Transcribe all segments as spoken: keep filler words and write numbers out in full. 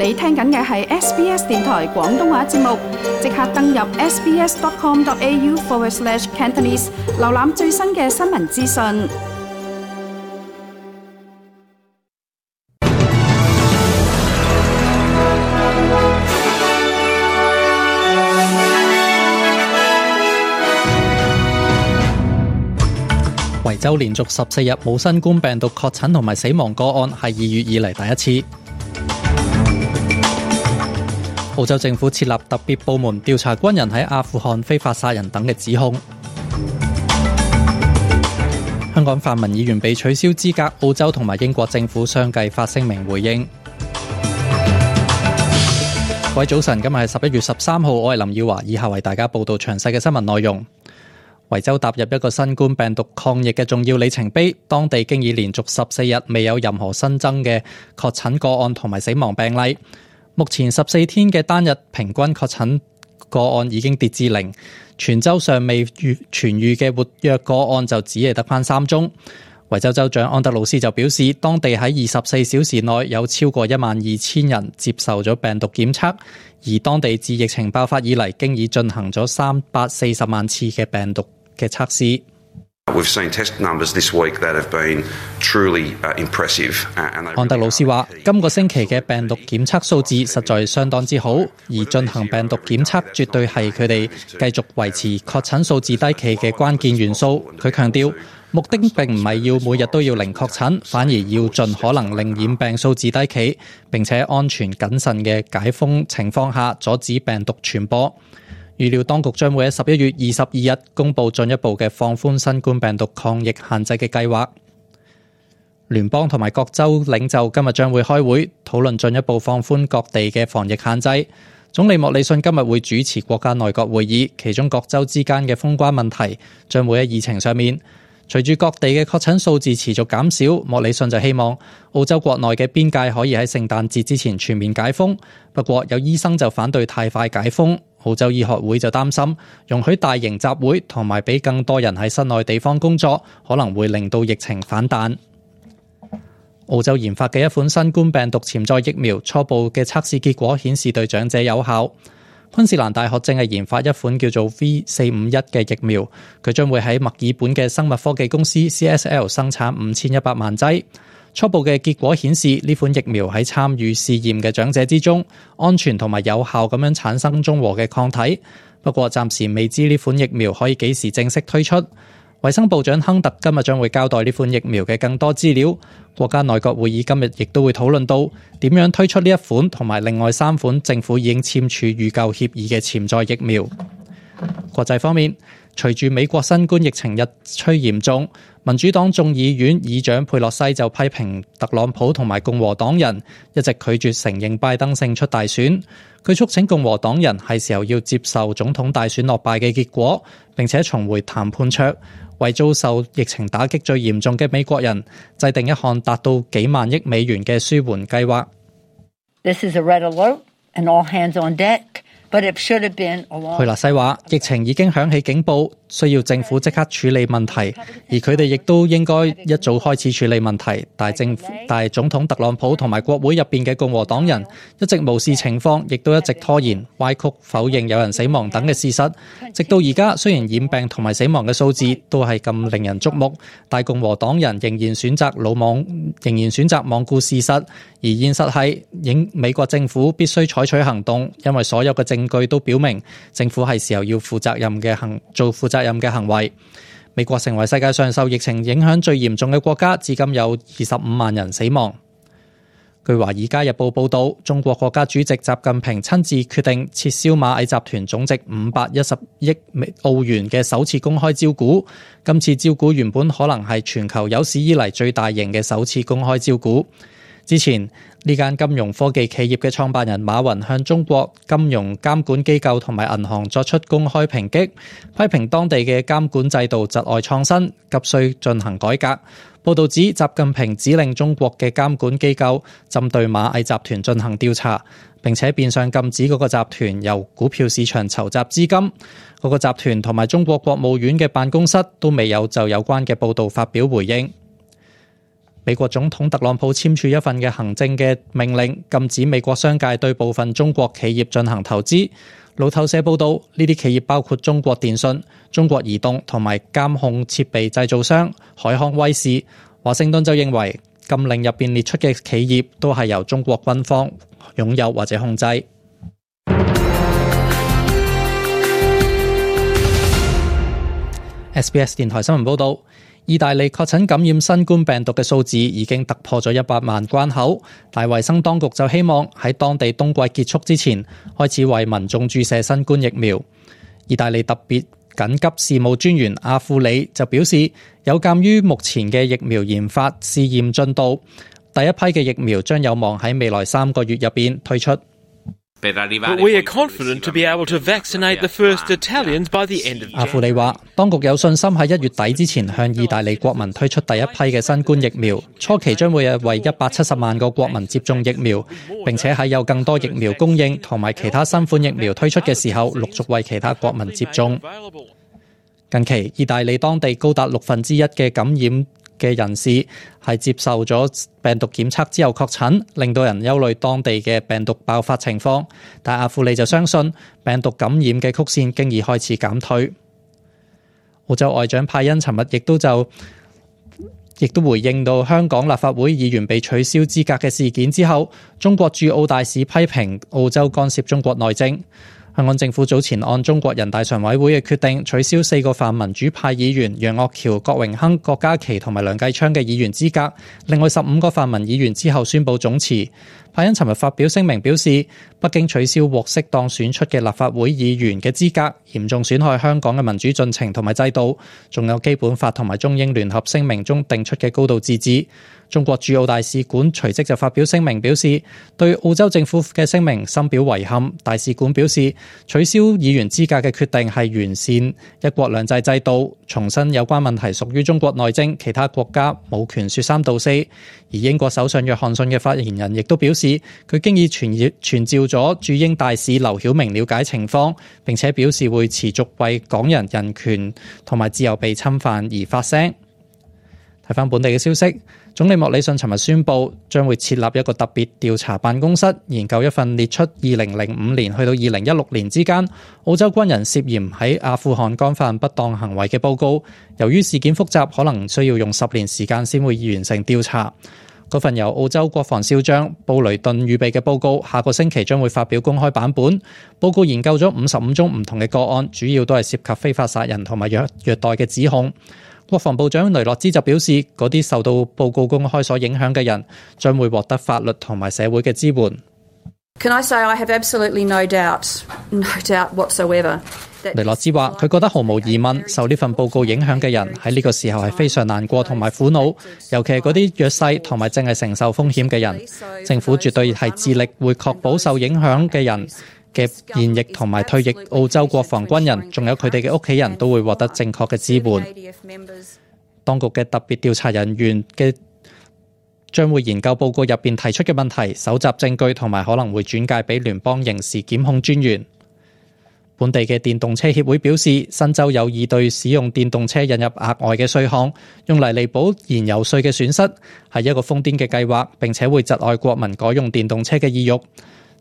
你聽緊嘅係 S B S 電台廣東話節目，即刻登入 sbs.com.au forward slash Cantonese， 瀏覽最新嘅新聞資訊。維州連續十四日冇新冠病毒確診同埋死亡個案，係二月以嚟第一次。澳洲政府設立特別部門調查軍人喺阿富汗非法殺人等嘅指控。香港泛民議員被取消資格，澳洲同埋英國政府相繼發聲明回應。各位早晨，今日係十一月十三號，我係林耀華，以下為大家報道詳細嘅新聞內容。維州踏入一個新冠病毒抗疫嘅重要里程碑，當地經已連續十四日未有任何新增嘅確診個案同埋死亡病例。目前十四天嘅單日平均確診個案已經跌至零，全州尚未痊癒嘅活躍個案就只係得返三宗。維州州長安德魯斯就表示，當地喺二十四小時內有超過一萬二千人接受咗病毒檢測，而當地自疫情爆發以嚟經已進行咗三百四十萬次嘅病毒嘅測試。安德魯斯話，今個星期嘅病毒檢測數字實在相當之好，而進行病毒檢測絕對係佢哋繼續維持確診數字低企嘅關鍵元素。佢強調，目的並唔係要每日都要零確診，反而要盡可能令染病數字低企，並且安全謹慎嘅解封情況下阻止病毒傳播。預料當局將會喺十一月二十二日公布進一步嘅放寬新冠病毒抗疫限制嘅計劃。聯邦同埋各州領袖今日將會開會討論進一步放寬各地嘅防疫限制。總理莫里遜今日會主持國家內閣會議，其中各州之間嘅封關問題將會喺議程上面。隨住各地嘅確診數字持續減少，莫里遜就希望澳洲國內嘅邊界可以喺聖誕節之前全面解封。不過有醫生就反對太快解封。澳洲醫學會就擔心容許大型集會同埋俾更多人喺室內地方工作，可能會令到疫情反彈。澳洲研發嘅一款新冠病毒潛在疫苗初步嘅測試結果顯示對長者有效。昆士蘭大學正係研發一款叫做 V 四五一嘅疫苗，佢將會喺墨爾本嘅生物科技公司 C S L 生產五千一百萬劑。初步嘅結果顯示，呢款疫苗喺參與試驗嘅長者之中，安全同埋有效咁樣產生中和嘅抗體。不過暫時未知呢款疫苗可以幾時正式推出。衛生部長亨特今日將會交代呢款疫苗嘅更多資料。國家內閣會議今日亦都會討論到點樣推出呢一款同埋另外三款政府已經簽署預購協議嘅潛在疫苗。國際方面，隨住美國新冠疫情日趨嚴重，民主黨眾議院議長佩洛西就批評特朗普同埋共和黨人一直拒絕承認拜登勝出大選。佢促請共和黨人係時候要接受總統大選落敗嘅結果，並且重回談判桌，為遭受疫情打擊最嚴重嘅美國人制定一項達到幾萬億美元嘅舒緩計劃。This is a red alert and all hands on deck. But it should have been a long... 佩洛西話，疫情已經響起警報，需要政府即刻處理問題，而佢哋亦都應該一早開始處理問題。但係政府、但係總統特朗普同埋國會入邊嘅共和黨人一直無視情況，亦都一直拖延、歪曲、否認有人死亡等嘅事實。直到而家，雖然染病同埋死亡嘅數字都係咁令人矚目，但共和黨人仍然選擇魯莽，仍然選擇罔顧事實。而現實係，影美國政府必須採取行動，因為所有嘅證據都表明政府係時候要負責任嘅行做負責任嘅行為。美國成為世界上受疫情影響最嚴重嘅國家，至今有二十五萬人死亡。據《華爾街日報》報道，中國國家主席習近平親自決定撤銷螞蟻集團總值五百一十億澳元嘅首次公開招股。今次招股原本可能係全球有史以嚟最大型嘅首次公開招股。之前呢間金融科技企業嘅創辦人馬雲向中國金融監管機構同埋銀行作出公開抨擊，批評當地嘅監管制度窒礙創新，急需進行改革。報道指習近平指令中國嘅監管機構針對螞蟻集團進行調查，並且變相禁止嗰個集團由股票市場籌集資金。嗰個集團同埋中國國務院嘅辦公室都未有就有關嘅報道發表回應。美國總統特朗普簽署一份嘅行政嘅命令，禁止美國商界對部分中國企業進行投資。路透社報道，呢啲企業包括中國電信、中國移動同埋監控設備製造商海康威視。華盛頓就認為禁令入邊列出嘅企業都係由中國軍方擁有或者控制。S B S 電台新聞報道，意大利確診感染新冠病毒嘅數字已經突破咗一百萬關口，但衛生當局就希望喺當地冬季結束之前開始為民眾注射新冠疫苗。意大利特別緊急事務專員阿庫里就表示，有鑑於目前嘅疫苗研發試驗進度，第一批嘅疫苗將有望喺未來三個月入邊推出。But we are confident to be able to vaccinate the first Italians by the end of January. 阿庫里話，當局有信心喺一月底之前向意大利國民推出第一批嘅新冠疫苗，初期將會為一百七十萬個國民接種疫苗，並且喺有更多疫苗供應同埋其他新款疫苗推出嘅時候，陸續為其他國民接種。近期，意大利當地高達六分之一嘅感染嘅人士係接受咗病毒檢測之後確診，令到人憂慮當地嘅病毒爆發情況。但阿庫里就相信病毒感染嘅曲線經已開始減退。澳洲外長派恩尋日亦都就亦都回應到香港立法會議員被取消資格嘅事件之後，中國駐澳大使批評澳洲干涉中國內政。香港政府早前按中國人大常委會嘅決定，取消四個泛民主派議員楊岳橋、郭榮鏗、郭家麒同埋梁繼昌嘅議員資格，另外十五個泛民議員之後宣布總辭。派恩尋日發表聲明表示，北京取消獲適當選出嘅立法會議員嘅資格，嚴重損害香港嘅民主進程同埋制度，仲有基本法同埋中英聯合聲明中定出嘅高度自治。中國駐澳大使館隨即就發表聲明表示，對澳洲政府嘅聲明深表遺憾。大使館表示，取消議員資格嘅決定係完善一國兩制制度，重申有關問題屬於中國內政，其他國家冇權說三道四。而英國首相約翰遜嘅發言人亦都表示，佢經已傳傳召咗駐英大使劉曉明了解情況，並且表示會持續為港人人權同埋自由被侵犯而發聲。睇返本地嘅消息，總理莫里遜尋日宣布將會設立一個特別調查辦公室，研究一份列出二零零五年去到二零一六年之間澳洲軍人涉嫌喺阿富汗干犯不當行為嘅報告。由於事件複雜，可能需要用十年時間先會完成調查。嗰份由澳洲國防少將布雷頓預備嘅報告，下個星期將會發表公開版本。報告研究咗五十五宗唔同嘅個案，主要都係涉及非法殺人同埋虐虐待嘅指控。國防部長雷諾茲就表示，嗰啲受到報告公開所影響嘅人將會獲得法律同埋社會嘅支援。Can I say I have absolutely no doubt, no doubt whatsoever. 雷諾茲話：佢覺得毫無疑問，受呢份報告影響嘅人喺呢個時候係非常難過同埋苦惱，尤其係嗰啲弱勢同埋正係承受風險嘅人。政府絕對係致力會確保受影響嘅人嘅現役同埋退役澳洲國防軍人，仲有佢哋嘅屋企人都會獲得正確嘅支援。當局嘅特別調查人員嘅將會研究報告入邊提出嘅問題，搜集證據同埋可能會轉介俾聯邦刑事檢控專員。本地嘅電動車協會表示，新州有意對使用電動車引入額外嘅稅項，用嚟彌補燃油稅嘅損失，係一個瘋癲嘅計劃，並且會窒礙國民改用電動車嘅意欲。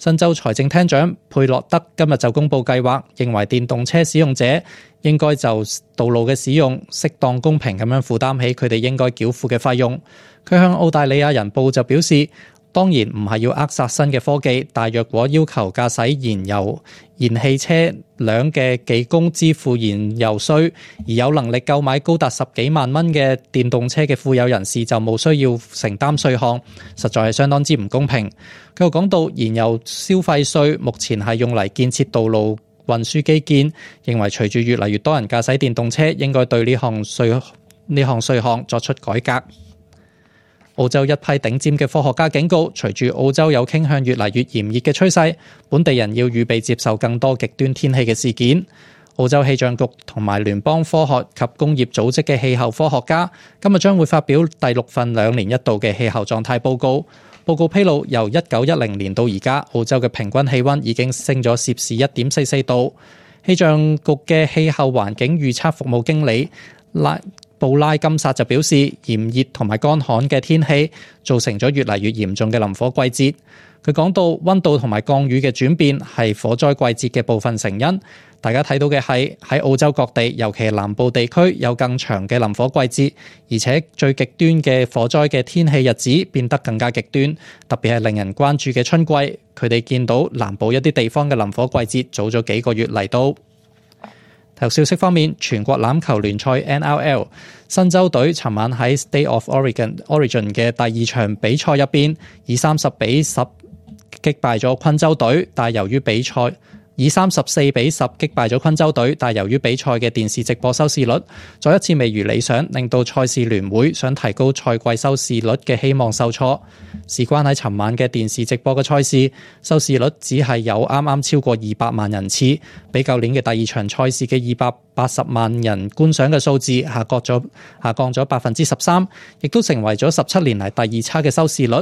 新州財政廳長佩洛德今日就公布計劃，認為電動車使用者應該就道路嘅使用適當公平咁樣負擔起佢哋應該繳付嘅費用。佢向澳大利亞人報就表示，當然唔係要扼殺新嘅科技，但若果要求駕駛燃油燃氣車輛嘅技工支付燃油稅，而有能力購買高達十幾萬蚊嘅電動車嘅富有人士就冇需要承擔稅項，實在係相當之唔公平。佢又講到，燃油消費稅目前係用嚟建設道路運輸基建，認為隨住越嚟越多人駕駛電動車，應該對呢項稅呢項稅項作出改革。澳洲一批頂尖嘅科學家警告，隨住澳洲有傾向越嚟越炎熱嘅趨勢，本地人要預備接受更多極端天氣嘅事件。澳洲氣象局同埋聯邦科學及工業組織嘅氣候科學家今日將會發表第六份兩年一度嘅氣候狀態報告。報告披露，由一九一零年到而家，澳洲嘅平均氣溫已經升咗攝氏一點四四度。氣象局嘅氣候環境預測服務經理拉布拉金薩就表示，炎熱同埋乾旱嘅天氣造成咗越嚟越嚴重嘅林火季節。佢講到溫度同埋降雨嘅轉變係火災季節嘅部分成因。大家睇到嘅係喺澳洲各地，尤其係南部地區有更長嘅林火季節，而且最極端嘅火災嘅天氣日子變得更加極端，特別係令人關注嘅春季。佢哋見到南部一啲地方嘅林火季節早咗幾個月嚟到。體育消息方面，全國欖球聯賽 N R L 新州隊尋晚喺 State of Oregon Origin 嘅第二場比賽入邊，以三十比十擊敗咗昆州隊，但由於比賽以三十四比十擊敗咗昆州隊，但由於比賽嘅電視直播收視率再一次未如理想，令到賽事聯會想提高賽季收視率嘅希望受挫。事關喺尋晚嘅電視直播嘅賽事，收視率只係有啱啱超過二百萬人次，比舊年嘅第二場賽事嘅二百八十萬人觀賞嘅數字下降咗下降咗百分之十三，亦都成為咗十七年嚟第二差嘅收視率。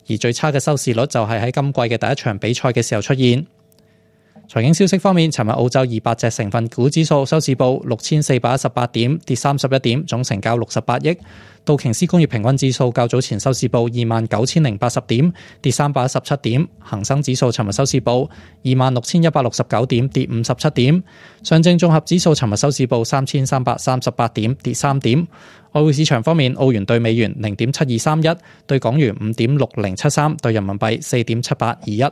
而最差嘅收視率就係喺今季嘅第一場比賽嘅時候出現。財經消息方面，尋日澳洲二百隻成分股指數收市報六千四百一十八點，跌三十一點，總成交六十八億。道瓊斯工業平均指數較早前收市報二萬九千零八十點，跌三百一十七點。恒生指數尋日收市報二萬六千一百六十九點，跌五十七點。上證綜合指數尋日收市報三千三百三十八點，跌三點。外匯市場方面，澳元對美元零點七二三一，對港元五點六零七三，對人民幣四點七八二一。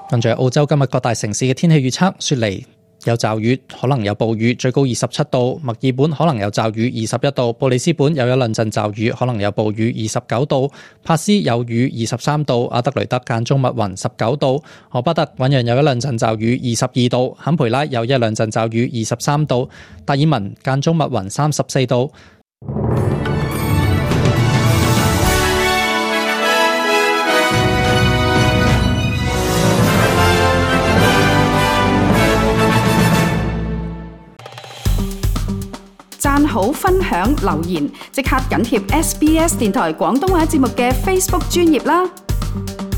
跟住澳洲今日各大城市嘅天氣預測：雪梨有驟雨，可能有暴雨，最高二十七度；墨爾本可能有驟雨，二十一度；布里斯本有一兩陣驟雨，可能有暴雨，二十九度；帕斯有雨，二十三度；阿德雷德間中密雲，十九度；荷巴特韋揚有一兩陣驟雨，二十二度；坎培拉有一兩陣驟雨，二十三度；達爾文間中密雲，三十四度。讚好、分享、留言，即刻緊貼 S B S 電台廣東話節目嘅 Facebook 專頁啦！